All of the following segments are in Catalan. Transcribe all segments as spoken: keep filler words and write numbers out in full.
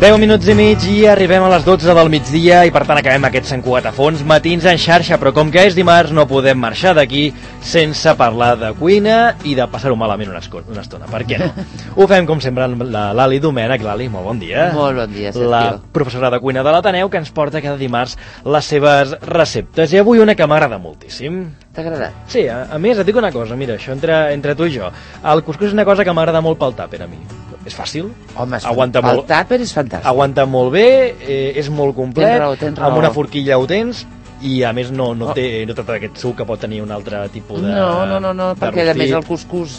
deu minuts i mig i arribem a les dotze del migdia i per tant acabem aquests cent quatre fons matins en xarxa, però com que és dimarts no podem marxar d'aquí sense parlar de cuina i de passar-ho malament una, una estona, per què no? Ho fem com sempre amb la Lali Domènech. Lali, molt bon dia. Molt bon dia, Sergio. La professora de cuina de l'Ateneu que ens porta cada dimarts les seves receptes i avui una que m'agrada moltíssim. T'ha agradat? Sí, a, a més et dic una cosa, mira, això entre, entre tu i jo, el cuscús és una cosa que m'agrada molt pel tàper a mi. És fàcil. Home, aguanta el molt, tàper és fantàstic. Aguanta molt bé, eh, és molt complet, tens raó, tens raó. Amb una forquilla ho tens i a més no, no, oh. té, no té aquest suc que pot tenir un altre tipus de No, no, no, no perquè a més el cuscús,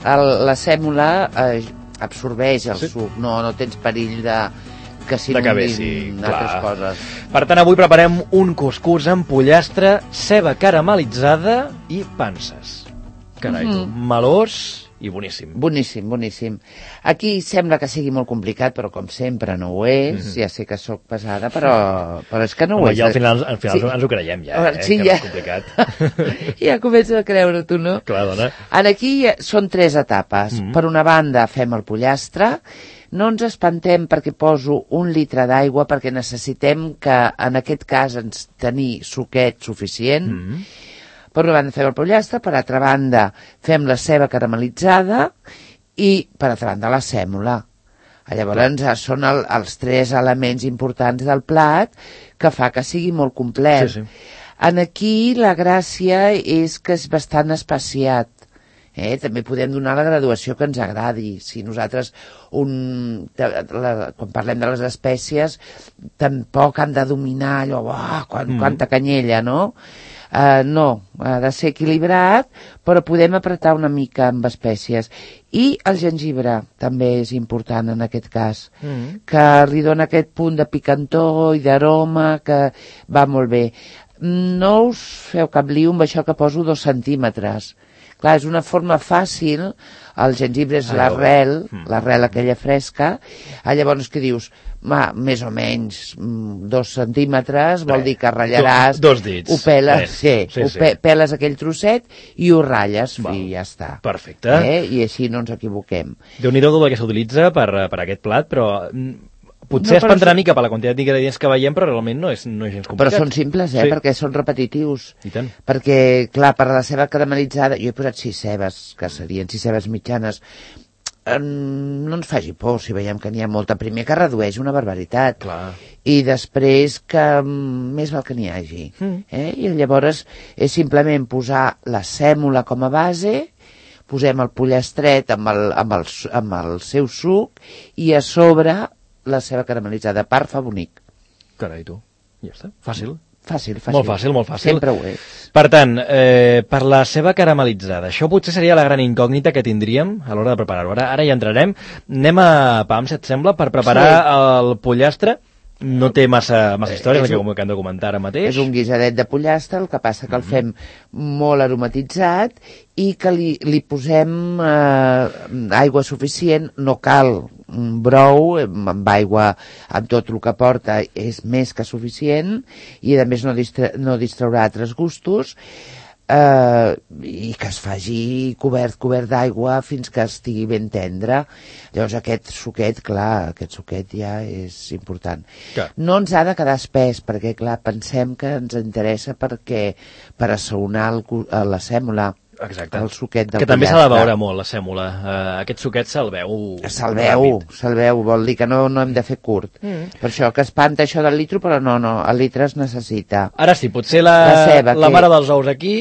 el, la sèmola eh, absorbeix el sí? suc, no, no tens perill de que s'inundin altres coses. Per tant, avui preparem un cuscús amb pollastre, ceba caramelitzada i panses. Carai, mm -hmm. melós i boníssim. Boníssim, boníssim. Aquí sembla que sigui molt complicat, però com sempre no ho és. Mm-hmm. Ja sé que sóc pesada, però, però és que no Home, ho és. Ja al final, al final sí. ens ho creiem, ja, eh, sí, que ja. és complicat. Ja començo a creure, tu, no? Clar, dona. En aquí són tres etapes. Mm-hmm. Per una banda fem el pollastre. No ens espantem perquè poso un litre d'aigua, perquè necessitem que, en aquest cas, ens tenir suquet suficient. Mm-hmm. Per una banda fem el pollastre, per altra banda fem la ceba caramelitzada i per altra banda la sèmola. Llavors Clar. són el, els tres elements importants del plat que fa que sigui molt complet. Sí, sí. En aquí la gràcia és que és bastant espaciat. Eh? També podem donar la graduació que ens agradi. Si nosaltres, un, la, quan parlem de les espècies, tampoc han de dominar allò, oh, quan, mm. quanta canyella, no? Uh, no, ha de ser equilibrat, però podem apretar una mica amb espècies. I el gengibre també és important en aquest cas, mm. que li dona aquest punt de picantor i d'aroma que va molt bé. No us feu cap lío amb això que poso dos centímetres. Clar, és una forma fàcil, el gengibre és l'arrel, l'arrel aquella fresca, llavors que dius, ma, més o menys dos centímetres, vol dir que ratllaràs, dos, dos dits. Ho peles, sí, sí, ho sí. Pe peles aquell trosset i ho ratlles Val. i ja està. Perfecte. Eh? I així no ens equivoquem. Déu-n'hi-do tot el que s'utilitza per, per aquest plat, però potser no, es prendrà una mica per la quantitat d'ingredients que veiem, però realment no és, no és gens complicat. Però són simples, eh? Sí. Perquè són repetitius. I tant. Perquè, clar, per la ceba caramelitzada, jo he posat sis cebes, que serien sis cebes mitjanes. No ens faci por si veiem que n'hi ha molta. Primer que redueix una barbaritat. Clar. I després que més val que n'hi hagi. Mm. Eh? I llavors és simplement posar la sèmola com a base, posem el pollastret amb el, amb el, amb el seu suc i a sobre la ceba caramelitzada. Part fa bonic. Carai, tu. Ja està. Fàcil. Fàcil, fàcil. Molt fàcil, molt fàcil. Sempre ho és. Per tant, eh, per la ceba caramelitzada, això potser seria la gran incògnita que tindríem a l'hora de preparar-ho. Ara, ara hi entrarem. Anem a Pam, si et sembla, per preparar sí. el pollastre. No té massa, massa història, és el que hem de comentar ara mateix. És un guisadet de pollastre, el que passa que el fem molt aromatitzat i que li, li posem eh, aigua suficient, no cal un brou, amb aigua, amb tot el que porta, és més que suficient, i a més no, distra no distraurà altres gustos, eh, i que es faci cobert, cobert d'aigua fins que estigui ben tendre. Llavors aquest suquet, clar, aquest suquet ja és important. Clar. No ens ha de quedar espès, perquè clar, pensem que ens interessa perquè per assaonar el, la sèmola. Exacte. El suquet del que també s'ha de veure molt la sèmola. Uh, aquest suquet se'l veu se'l veu, se'l veu, vol dir que no, no hem de fer curt. Mm. Per això que espanta això del litro, però no, no, el litre es necessita. Ara sí, potser la, la, ceba, la que... mare dels ous aquí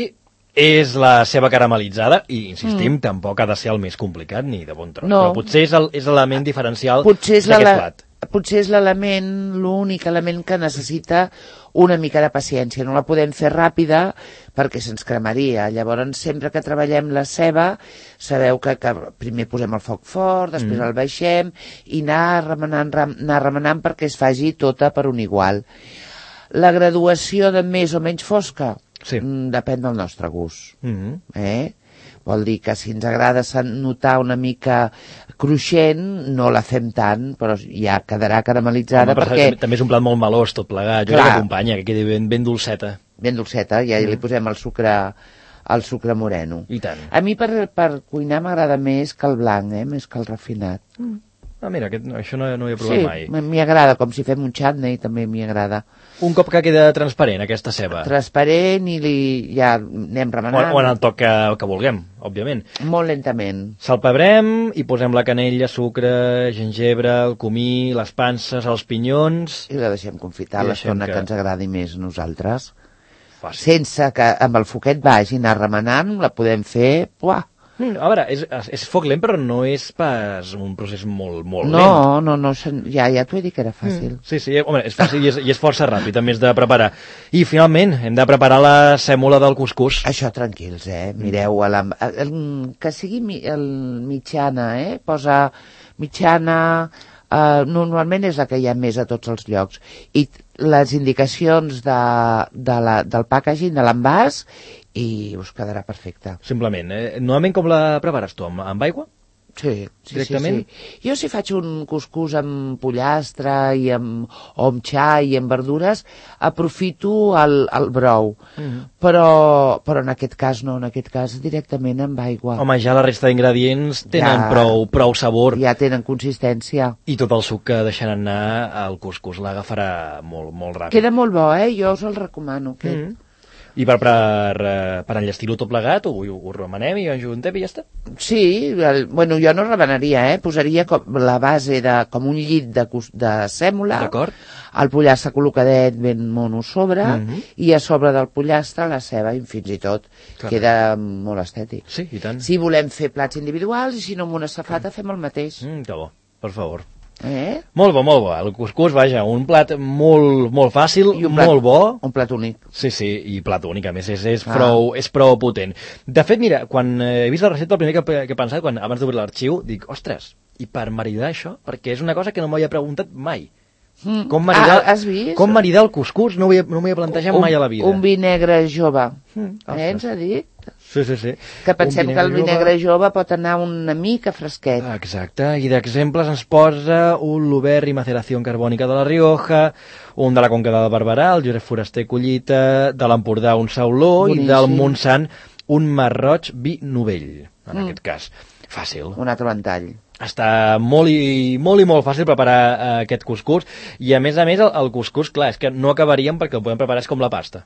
és la ceba caramelitzada i, insistim, mm. tampoc ha de ser el més complicat ni de bon tros. No. Però potser és l'element diferencial d'aquest plat. Potser és l'element, l'únic element que necessita una mica de paciència. No la podem fer ràpida perquè se'ns cremaria. Llavors, sempre que treballem la ceba, sabeu que, que primer posem el foc fort, després mm. el baixem i anar remenant, anar remenant perquè es faci tota per un igual. La graduació de més o menys fosca sí. depèn del nostre gust. Mm-hmm. eh? Vol dir que si ens agrada notar una mica cruixent, no la fem tant, però ja quedarà caramelitzada. Home, perquè... També és un plat molt melós, tot plegat. Jo crec que acompanya, que quedi ben, ben dolceta. Ben dolceta, ja mm. li posem el sucre, el sucre moreno. I tant. A mi per, per cuinar m'agrada més que el blanc, eh? Més que el refinat. Mm. Ah, mira, aquest, això no, no ho he provat sí, mai. Sí, m'hi agrada, com si fem un chutney, també m'hi agrada. Un cop que queda transparent, aquesta ceba. Transparent i li, ja anem remenant. O, o en el toc que, que vulguem, òbviament. Molt lentament. Salpebrem i posem la canella, sucre, gengebre, el comí, les panses, els pinyons... I la deixem confitar l'estona que... que ens agradi més a nosaltres. Fàcil. Sense que amb el foquet vagi anar remenant, la podem fer... Uah. Mm, a veure, és, és foc lent, però no és pas un procés molt, molt no, lent. No, no, no, ja, ja t'ho he dit que era fàcil. Mm, sí, sí, home, és fàcil i és, i és força ràpid, a més de preparar. I, finalment, hem de preparar la sèmola del cuscús. Això tranquils, eh? Mireu, a la, a, el, que sigui mi, el mitjana, eh? Posa mitjana... Uh, normalment és la que hi ha més a tots els llocs. I les indicacions de, de la, del packaging, de l'envàs, i us quedarà perfecte. Simplement. Eh? Normalment com la prepares tu? Amb, amb aigua? Sí, sí, directament? sí, sí. Jo si faig un cuscús amb pollastre i amb, o amb xai i amb verdures, aprofito el, el brou. Mm-hmm. Però, però en aquest cas no, en aquest cas directament amb aigua. Home, ja la resta d'ingredients tenen ja, prou, prou sabor. Ja tenen consistència. I tot el suc que deixen anar al cuscús l'agafarà molt, molt ràpid. Queda molt bo, eh? Jo us el recomano. Aquest. Mm-hmm. I per, per, per enllestir-ho tot plegat, ho, ho remenem i ho ajuntem i ja està? Sí, el, bueno, jo no remenaria, eh? Posaria com la base de, com un llit de, de sèmola, el pollastre col·locadet ben mono sobre, mm-hmm. i a sobre del pollastre la ceba, i fins i tot clar, queda molt estètic. Sí, i tant. Si volem fer plats individuals, i si no amb una safata fem el mateix. Mm, que bo, per favor. Eh? Molt bo, molt bo. El cuscús, vaja, un plat molt, molt fàcil, plat, molt bo. Un plat únic. Sí, sí, i plat únic, a més, és, és, ah. prou, és prou potent. De fet, mira, quan he vist la recepta, el primer que, que he pensat, quan, abans d'obrir l'arxiu, dic, ostres, i per maridar això? Perquè és una cosa que no m'havia preguntat mai. Mm. Com maridar, ah, has vist? Com maridar el cuscús no m'ho havia, no havia plantejat un, mai a la vida. Un vi negre jove. Mm, eh, ens ha dit? Sí, sí, sí. Que pensem que el vi negre jove pot anar una mica fresquet. Exacte, i d'exemples ens posa un Louverri maceració carbònica de la Rioja, un de la Conca de Barberà, el Josep Foraster Collita, de l'Empordà un Sauló, boníssim. I del Montsant un Marroig vi novell, en mm. aquest cas. Fàcil. Un altre ventall. Està molt i molt, i molt fàcil preparar uh, aquest cuscús, i a més a més el, el cuscús, clar, és que no acabaríem perquè el podem preparar com la pasta.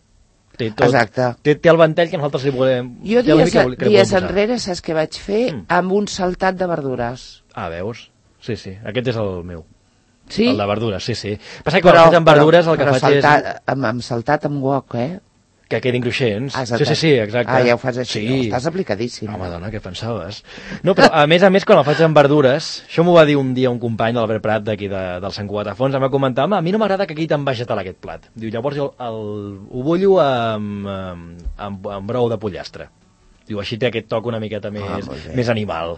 Té, tot, exacte. Té, té el ventall que nosaltres li volem... Jo dies, que, que dies enrere, saps què vaig fer? Mm. Amb un saltat de verdures. Ah, veus? Sí, sí, aquest és el meu. Sí? El de verdures, sí, sí. Passa que quan faig amb verdures el que però faig saltat, és... Amb, amb saltat amb wok, eh? Que quedin cruixents. Exacte. Sí, sí, sí, exacte. Ah, ja ho fas així, sí. no, estàs aplicadíssim. Home, dona, què pensaves? No, però a més a més, quan el faig amb verdures, això m'ho va dir un dia un company de l'Albert Prat d'aquí de, del Sant Cugat a Fons, em va comentar, home, a mi no m'agrada que quedi tan vegetal aquest plat. Diu, llavors jo el, ho bullo amb, amb, amb brou de pollastre. Diu, així té aquest toc una miqueta més, ah, més animal.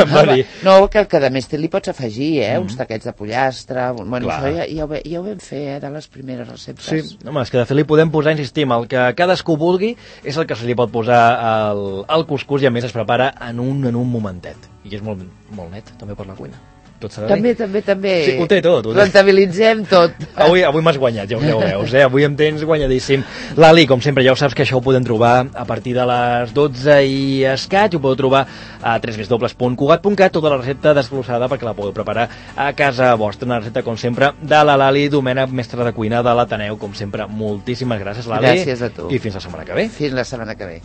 No, no, que, que a més li pots afegir, eh, mm. uns taquets de pollastre... Bueno, clar. Això ja, ja, ho, ja ho vam fer, eh, de les primeres receptes. Sí, home, és que de fet li podem posar, insistim, el que cadascú vulgui és el que se li pot posar al, al cuscús, i a més es prepara en un, en un momentet. I és molt, molt net, també per la cuina. Tot s'ha de dir. També, també, també. Sí, ho té tot. Ho té. Rentabilitzem tot. Avui, avui m'has guanyat, ja, ja ho veus, eh? Avui em tens guanyadíssim. Lali, com sempre, ja ho saps que això ho podem trobar a partir de les dotze i escaig, ho podeu trobar a w w w punt cugat punt cat, tota la recepta desglossada perquè la podeu preparar a casa vostra. Una recepta, com sempre, de la Lali Domènech, mestra de cuina de l'Ateneu. Com sempre, moltíssimes gràcies, Lali. Gràcies a tu. I fins la setmana que ve. Fins la setmana que ve.